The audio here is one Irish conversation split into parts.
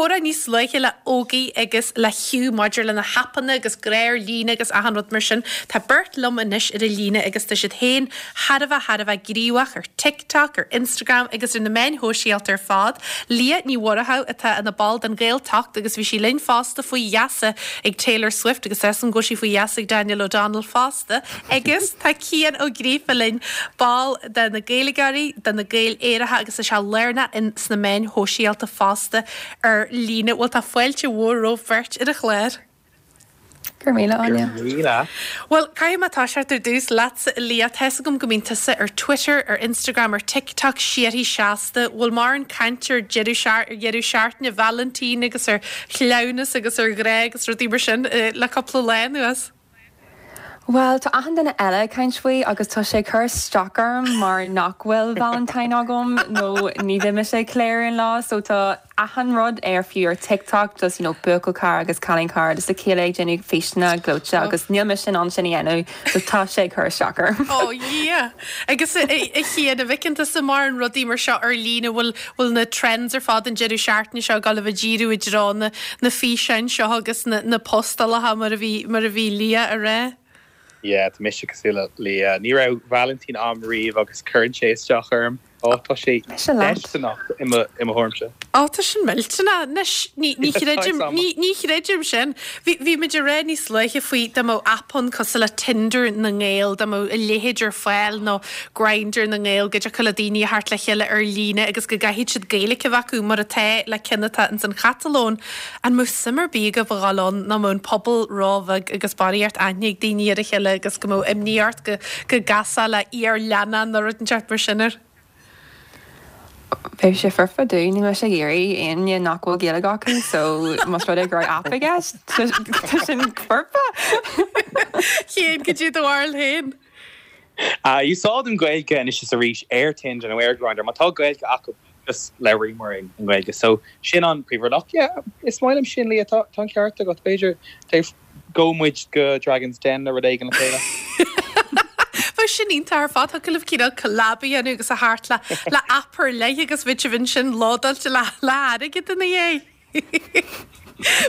comhrá níos luaithe le Ógie agus le Hugh maidir le na haipeanna agus grá ar líne agus achan rud mar sin. Tá beirt liom anois ar an líne agus tá siad féin thar a bheith thar a bheith gníomhach ar TikTok, ar Instagram agus ar na meáin shóisialta ar fad. Liadh Ní Mhurchadha atá ina ball den Ghaeltacht agus bhí sí linn fosta faoi gheasa ag Taylor Swift agus tá 'fhios agam go bhfuil sí faoi gheasa ag Daniel O'Donnell fosta. Agus tá Cian Ó Gríofa linn, ball de na Gaeilgeoirí, de na Gaeil Aeracha agus tá sé lárnach in sna meáin shóisialta fosta ar líne. Bhuel tá fáilte mhór romhaibh beirt ar an chlár. Go raibh míle, Áine. Go raibh míle. Bhuel, caithfidh mé toiseacht ar dtús leatsa, a Liadh. Tá 'fhios agam go mbíonn tusa ar Twitter, ar Instagram, ar TikTok síoraí seasta. Bhfuil mórán cainte ar deireadh ar dheireadh seachtaine Vailintín agus ar chleamhnas agus ar ghrá agus rudaí mar sin le cúpla lá anuas? Bhuel, tá achan duine eile ag caint faoi agus tá sé ag cur isteach orm mar nach bhfuil Valentine agam nó ní bheidh mise ag ceiliúradh an lá so tá achan rud ar fiú ar TikTok just you know buachaill cara agus cailín cara just a chéile ag déanamh físeanna gleoite agus níl mise in ann sin a dhéanamh so tá sé ag cur isteach orm. Ó Dhia! Agus a Chian, an bhfeiceann tusa mórán rudaí mar seo ar líne, bhfuil bhfuil na trends ar fad an deireadh seachtaine seo ag dul a bheith ag díriú i dtreo na na físeáin seo agus na na postálacha mar a bhí mar a bhí Liadh a rá? Yeah, tá mise cosúil le Liadh. Ní raibh Vailintín a'm riamh agus cuireann sé isteach orm. Ó, tá sé Mise leat. deisteanach i mo i mo thuairimse. Ó, tá sin millteanach. Anois, ní ní chreidim ní ní chreidim sin. Bhí bhí muid ag rá níos luaithe faoi dá mbeadh aip ann cosúil le Tinder na nGael, dá mbeadh a leithéid ar fáil nó Grindr na nGael, go dtiocfadh le daoine a theacht le chéile ar líne agus go gcaithfidh siad Gaeilge a bheith acu, mar atá le ceann atá ins an Chatalóin. An mbeadh suim ar bith agaibh a dhul ann nó mbeadh an pobal róbheag agus barraíocht aithne ag daoine ar a chéile agus go mbeadh imní ort go go gcasfá le iar-leannán nó rud inteacht mar sin air? Bheadh sé foirfe domh, níl mise ag iarraidh éinne nach bhfuil Gaeilge acu so más rud é go raibh aip i gceist, tá sin foirfe! Cian, cad é do bharúil féin? Úsáidim Gaeilge anois is arís ar Tinder nó ar Grindr. Má tá Gaeilge acu just labhraíomar i nGaeilge. So sin an príomhrud. Ach yeah, is maith liom sin Liadh, tá an ceart agat. B'fhéidir gabhfaidh muid go Dragon's Den nó rud éigin le chéile. Bheadh sin iontach ar fad. Thiocfadh libh cineál collab a dhéanamh agus a theacht le le aip ar leith agus bheadh sibh ansin lódáilte le le hairgead ina dhiaidh.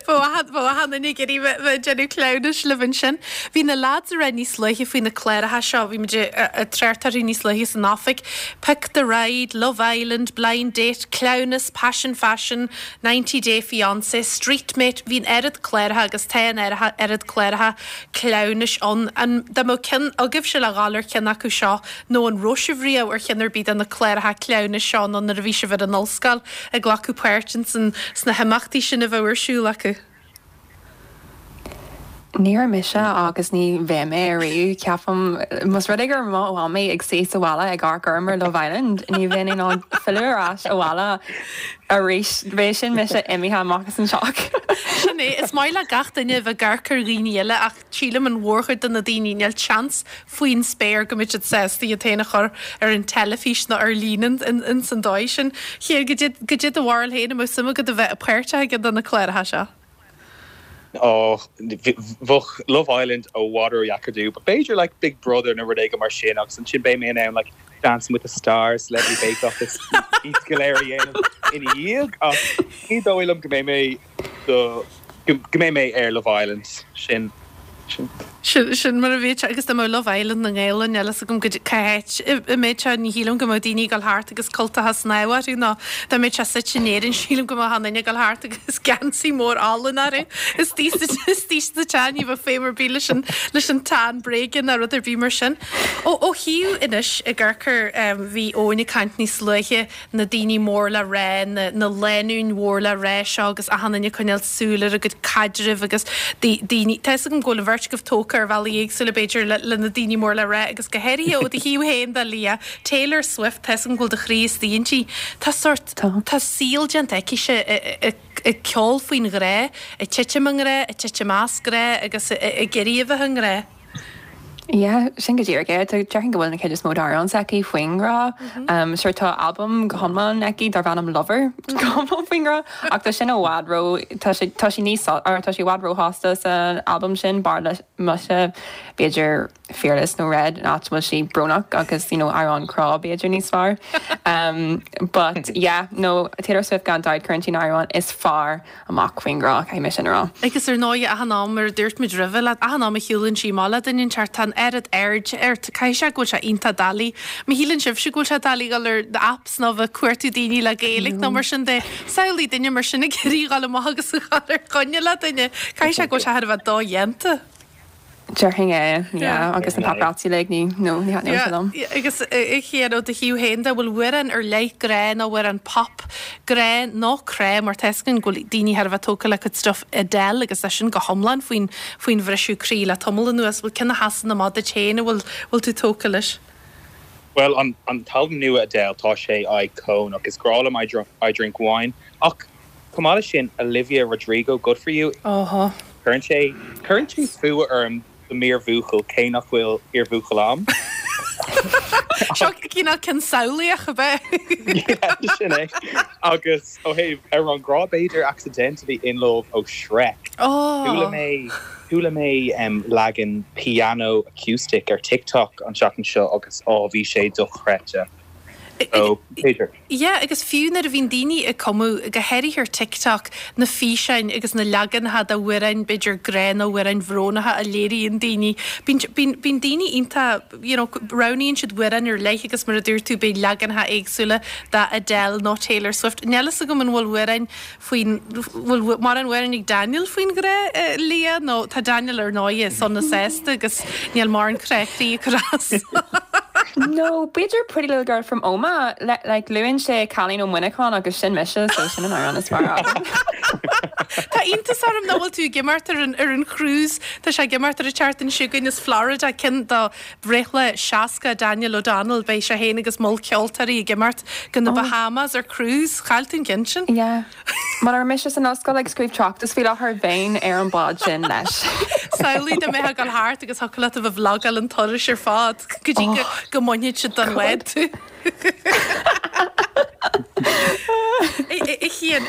Bheadh achan duine ag iarraidh bheith ag déanamh cleamhnais libh ansin. Bhí na lads ag rá níos luaithe faoi na cláracha seo, bhí muid ag trácht orthu níos luaithe san oifig, Pick the Ride, Love Island, Blind Date, Cleamhnas, Passion Fashion, 90 Day Fiancé, Street Mate, bhí an oiread cláracha agus tá an oiread cláracha cleamhnais ann. An dá mbeadh ceann agaibhse le dhul ar cheann acu seo nó an raibh sibh riamh ar cheann ar bith de na cláracha cleamhnais seo nó nuair a bhí sibh ar an ollscoil ag glacadh páirt ins an sna himeachtaí sin a bheadh ar siúl acu? Ní raibh mise agus ní bheidh mé ariamh, ceapaim. Más rud é go raibh mo mhamaí ag suí sa bhaile ag amharc orm ar Love Island, ní bheinn in ann filleadh ar ais abhaile arís. Bheadh sin mise imithe amach as an teach. Sin é. Is maith le gach duine a bheith ag amharc ar dhaoine eile ach sílim an mhórchuid de na daoine, níl seans faoin spéir go mbeidh siad sásta iad féin a chur ar an teilifís nó ar líne ins an dóigh sin. Cian, goidé do bharúil féin, an mbeadh suim agat a bheith páirteach i gceann de na cláracha seo? Ó, bheadh Love Island i bhfad ródheacair domh, but b'fhéidir like Big Brother nó rud éigin mar sin agus ansin beidh mé in ann like Dancing with the Stars, Celebrity Bake Off is iad go léir a dhéanamh ina dhiaidh ach ní dóigh liom go mbeidh mé do go mbeidh mé ar Love Island, sin sin. Sin mar a bhí sé agus dá mbeadh Love Island na nGael ann, níl fhios agam goidé cá háit a mbeadh sé, ní shílim go mbeadh daoine ag dul thart agus cultacha snámha orthu nó dá mbeadh sé suite in Éirinn sílim go mbeadh achan duine ag dul thart agus geansaí mór álainn orthu istigh sa teach, ní bheadh feidhm ar bith leis an leis an tan bréige ná rud ar bith mar sin. Ó ó thaobh anois ag amharc ar bhí Eoin ag caint níos luaithe na daoine mór le rá, na na lánúin mhór le rá seo agus achan duine ag coinneáil súil ar a gcuid caidrimh agus daoine, tá 'fhios agam go bhfuil an bheirt agaibh tógtha ar bhealaí éagsúla b'fhéidir le le na daoine mór le rá agus go háirithe ó do thaobh féin de Liadh, Taylor Swift, tá 'fhios agam go bhfuil do chroí istigh inti. Tá sórt, tá saol déanta aicise ag ceol faoin ghrá, ag titim i ngrá, ag titim as grá agus ag iarraidh a bheith i ngrá. Yeah, sin go díreach é. Tá, déarfainn go bhfuil na cuid is mó d'amhráin s'aici faoin ngrá. Sure tá albam go hiomlán aici darb ainm Lover, go hiomlán faoin ngrá, ach tá sin i bhfad ró, tá sé, tá sí níos, or tá sí i bhfad róshásta san albam sin, b'fhearr liomsa b'fhéidir Fearless nó Red, an áit a bhfuil sí brónach agus you know amhrán crá b'fhéidir níos fearr. But yeah, no, Taylor Swift gan dabht cuireann sí na hamhráin is fearr amach faoin ngrá, caithfidh mé sin a rá. Agus ar ndóigh, achan am, mar a dúirt muid roimhe leat, achan am a shiúlann sí amach le duine inteacht, tá an oiread aird air, caithfidh sé go bhfuil sé iontach doiligh. Má shíleann sibhse go bhfuil sé doiligh dul ar na apps nó bheith ag cuartú daoine le Gaeilge nó mar sin de, samhlaigh duine mar sin ag iarraidh a dhul amach agus a dhul ar choinne le duine, caithfidh sé go bhfuil sé thar a bheith dodhéanta. Déarfainn é, yeah, agus na paparazzi uilig, ní, no, ní thaitneodh sé liom. Yeah, agus a Chian, ó do thaobh féin de, bhfuil amhrán ar leith grá nó amhrán pop grá nó crá mar tá 'fhios againn go bhfuil daoine thar a bheith tógtha le cuid stuff Adele agus é sin go hiomlán faoin, faoin bhriseadh croí le tamall anuas. Bhfuil ceann a sheasann amach duit féin a bhfuil, bhfuil tú tógtha leis? Bhuel, an, an t-albam nua Adele, tá sé íocónach. Is grá liom I Drink, I Drink Wine ach Chomh maith leis sin, Olivia Rodrigo, Good For You, cuireann sé, cuireann sé fuath orm do m'iarbhuachaill cé nach bhfuil iarbhuachaill a'm. Seo cineál ceann samhlaíoch, ab ea? Yeah, sin é. Agus ó thaobh amhrán grá, b'fhéidir Accidentally in Love ó Shrek. Chuala mé, chuala mé leagan piano acoustic ar TikTok an tseachtain seo agus á, bhí sé dochreidte. So, b'fhéidir. Yeah, agus fiú nuair a bhíonn daoine ag cumadh, go háirithe ar TikTok, na físeáin agus na leaganacha d'amhráin, b'fhéidir grá nó amhráin bhrónacha a léiríonn daoine, bíonn, bíonn, bíonn daoine iontach, you know, roghnaíonn siad amhráin ar leith agus mar a dúirt tú, beidh leaganacha éagsúla de Adele nó Taylor Swift. Níl fhios agam an bhfuil amhráin faoin, bhfuil mórán amhráin ag Daniel faoin ghrá, Leah, nó tá Daniel ar ndóighe sona sásta agus níl mórán crá croí ag cur as. No, b'fhéidir Pretty Little Girl from Omagh, le, like, luann sé cailín ó Mhuineachán agus sin mise, so sin an amhrán is fearr agam. Tá iontas orm nach bhfuil tú ag imeacht ar an, ar an cruise, tá sé ag imeacht ar an tseachtain seo chugainn as Florida, ceann do bhreithlá 60 Daniel O'Donnell, beidh sé féin agus moll ceoltóirí ag imeacht go na Bahamas ar cruise, chaill tú an ceann sin. Yeah. Mura raibh mise san ollscoil ag scríobh tráchtas faoi láthair, bheinn ar an bhád sin leis. Samhlaigh dá mbeifeá ag dul thart agus thiocfadh leat a bheith ag vlogáil an turais ar fad go dtí go mbainfeadh siad den bhád tú. A Chian,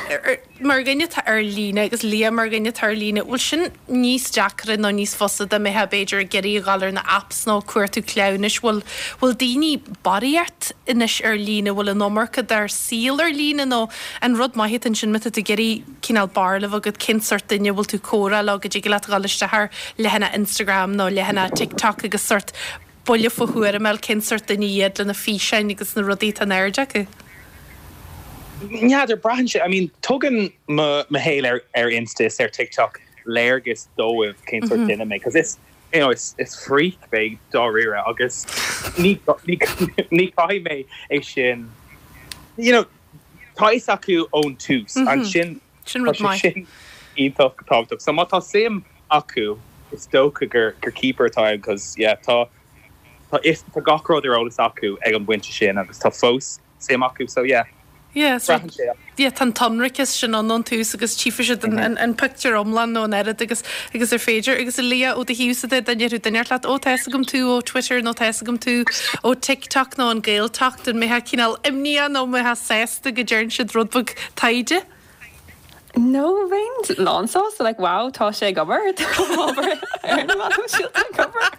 mar dhuine atá ar líne agus Leah mar dhuine atá ar líne, bhfuil sin níos deacra nó níos fusa dá mbeifeá b'fhéidir ag iarraidh a dhul ar na apps nó ag cuartú cleamhnais? Bhfuil, bhfuil daoine barraíocht anois ar líne, bhfuil an iomarca dár saol ar líne nó an rud maith atá ansin má tá tú ag iarraidh cineál barúil a bheith agat cén sórt duine a bhfuil tú ag comhrá leo go dtig leat a dhul isteach ar leathanach Instagram nó leathanach TikTok agus sórt buille faoi thuairim a fháil cén sórt duine iad le na físeáin agus na rudaí atá in airde acu. N'fheadar, braitheann sé, I mean tugann mo mo shaol ar ar Insta is ar TikTok léargas dóibh cén sórt duine mé 'cause is you know is is freak mé dáiríre agus ní ní ní chaithfidh mé é sin you know tá fhios acu ón tús ansin Sin rud tá sé maith. sin iontach tábhachtach. So má tá suim acu is dócha gur gur keeper atá ann 'cause yeah tá tá fhios tá gach rud ar eolas acu ag an bpointe sin agus tá fós suim acu so yeah Yeah, so braitheann sé. yeah, tá an t-ionraiceas sin ann ón tús agus tchífidh siad an, an, an pictiúr iomlán nó an oiread agus, agus ar féidir. Agus a Leah, ó do thaobhsa de, dá ndéarfadh duine leat, ó tá fhios agam tú ó Twitter nó tá fhios agam tú ó TikTok nó an Gaeltacht, an mbeifeá cineál imníoch nó an mbeifeá sásta go dtearn siad rud beag taighde? No, bheinn lánsásta, like wow, tá sé ag obair, tá obair ar na meáin shóisialta ag obair.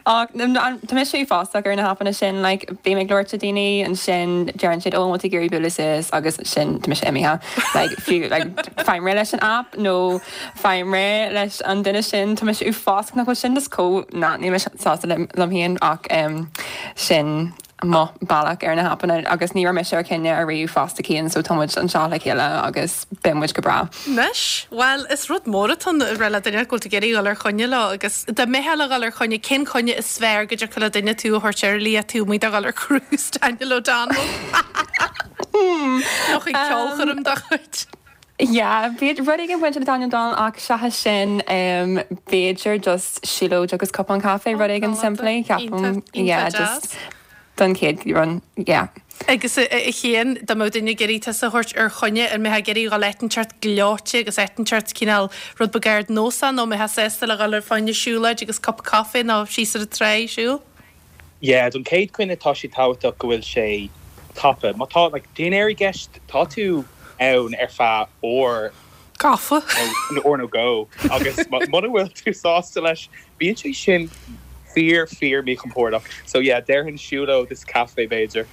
Ach tá mise uafásach ar na haipeanna sin, like bím ag labhairt le daoine, ansin deireann siad oh an bhfuil tú ag iarraidh bualadh suas agus sin tá mise imithe. Like fiú like faighim réidh leis an app nó faighim réidh leis an duine sin, tá mise uafásach nach bhfuil sin just chomh, ná níl mise sásta liom féin ach sin mo bealach ar na haipeanna agus ní raibh mise ar coinne ariamh fosta Cian so tá muid anseo le chéile agus beidh muid go breá. Anois, bhuel, is rud mór atá ann a rá le duine go bhfuil tú ag iarraidh dhul ar choinne leo agus dá mbeifeá le dhul ar choinne, cén coinne is fearr go dtiocfadh le duine tú a thabhairt air, Leah, tú amuigh do dhul ar cruise Daniel O'Donnell? Nó chuig ceolchoirm dá chuid? Yeah, b'fhéidir rud éigin bainte le Daniel O'Donnell ach seachas sin, b'fhéidir just siúlóid agus cupán caife, rud éigin simplí, ceapaim, yeah, just. Don chéad rud, yeah. Agus a Chian, dá mbeadh duine ag iarraidh tusa a thabhairt ar choinne, an mbeifeá ag iarraidh dhul áit inteacht gleoite agus áit inteacht cineál rud beag ardnósach nó an mbeifeá sásta le dhul ar fá choinne siúlóid agus cup caife nó síos ar an trá ag siúl? Yeah, don chéad choinne tá sé tábhachtach go bhfuil sé tapa. Má tá like dinnéar i gceist, tá tú ann ar feadh uair. Gafa. Nó uair nó dhó agus muna bhfuil tú sásta leis, bíonn sé sin fíor fíor míchompordach. So yeah, déarfainn siúlóid is caife b'fhéidir.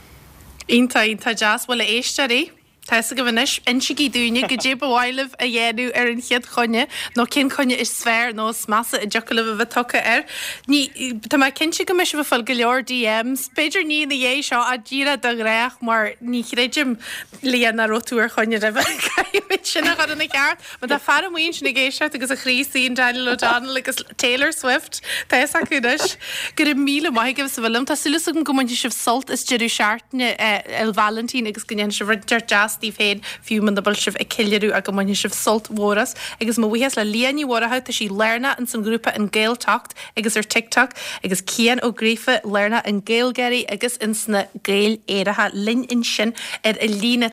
Iontach, iontach deas. Bhuel a éisteoirí, tá fhios agaibh anois, insígí dúinne goidé ba mhaith libh a dhéanamh ar an chéad choinne nó cén choinne is fearr nó is measa a dtiocfadh libh a bheith tugtha air. Ní, tá mé cinnte go mbeidh sibh ag fáil go leor DMs, b'fhéidir ní ina dhiaidh seo ach díreach de ghnách mar ní chreidim Leah nach raibh tú ar choinne roimhe. Caithfimid sin a chur ina cheart. Má tá fear amuigh ansin ag éisteacht agus a chroí istigh in Daniel O'Donnell agus Taylor Swift, tá fhios acu anois. Go raibh míle maith agaibh as a bheith liom. Tá súil agam go mbainfidh sibh sult as deireadh seachtaine Fhéile Vailintín agus go ndéanfaidh sibh rud inteacht deas daoibh féin, fiú muna bhfuil sibh ag ceiliúradh ach go mbainfidh sibh sult mhór as. Agus mo bhuíochas le Leah Ní Mhurchú, tá sí lárnach ins an ghrúpa An Gaeltocht agus ar TikTok, agus Cian Ó Gríofa, lárnach in GaelGáirí agus ins na Gaeil Aeracha linn ansin ar an líne.